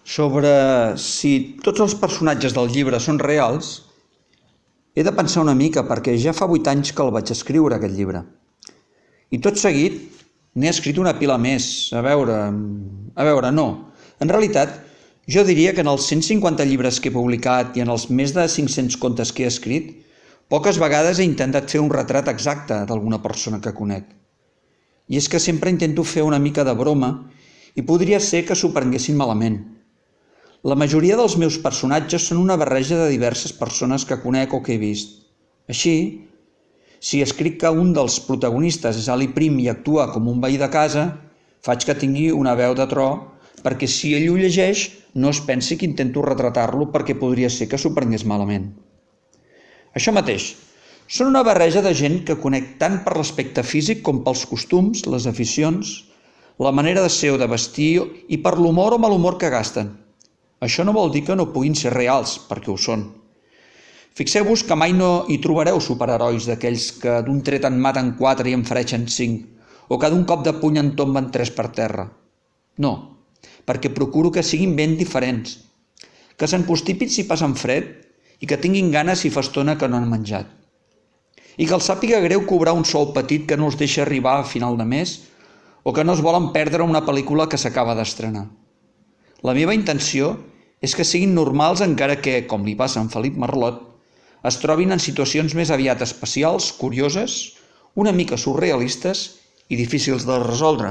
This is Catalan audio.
Sobre si tots els personatges del llibre són reals, he de pensar una mica perquè ja fa 8 anys que el vaig escriure, aquest llibre. I tot seguit n'he escrit una pila més. A veure, no. En realitat, jo diria que en els 150 llibres que he publicat i en els més de 500 contes que he escrit, poques vegades he intentat fer un retrat exacte d'alguna persona que conec. I és que sempre intento fer una mica de broma i podria ser que s'ho prenguessin malament. La majoria dels meus personatges són una barreja de diverses persones que conec o que he vist. Així, si escric que un dels protagonistes és Ali Prim i actua com un veí de casa, faig que tingui una veu de tro perquè si ell ho llegeix no es pensi que intento retratar-lo perquè podria ser que s'ho prengués malament. Això mateix, són una barreja de gent que conec tant per l'aspecte físic com pels costums, les aficions, la manera de ser o de vestir i per l'humor o mal humor que gasten. Això no vol dir que no puguin ser reals, perquè ho són. Fixeu-vos que mai no hi trobareu superherois d'aquells que d'un tret en maten 4 i en fereixen 5, o que d'un cop de puny en tomben 3 per terra. No, perquè procuro que siguin ben diferents, que s'enconstipin si passen fred i que tinguin ganes si fa estona que no han menjat. I que els sàpiga greu cobrar un sou petit que no els deixa arribar a final de mes o que no es volen perdre una pel·lícula que s'acaba d'estrenar. La meva intenció és que siguin normals encara que, com li passa a en Felip Marlot, es trobin en situacions més aviat especials, curioses, una mica surrealistes i difícils de resoldre.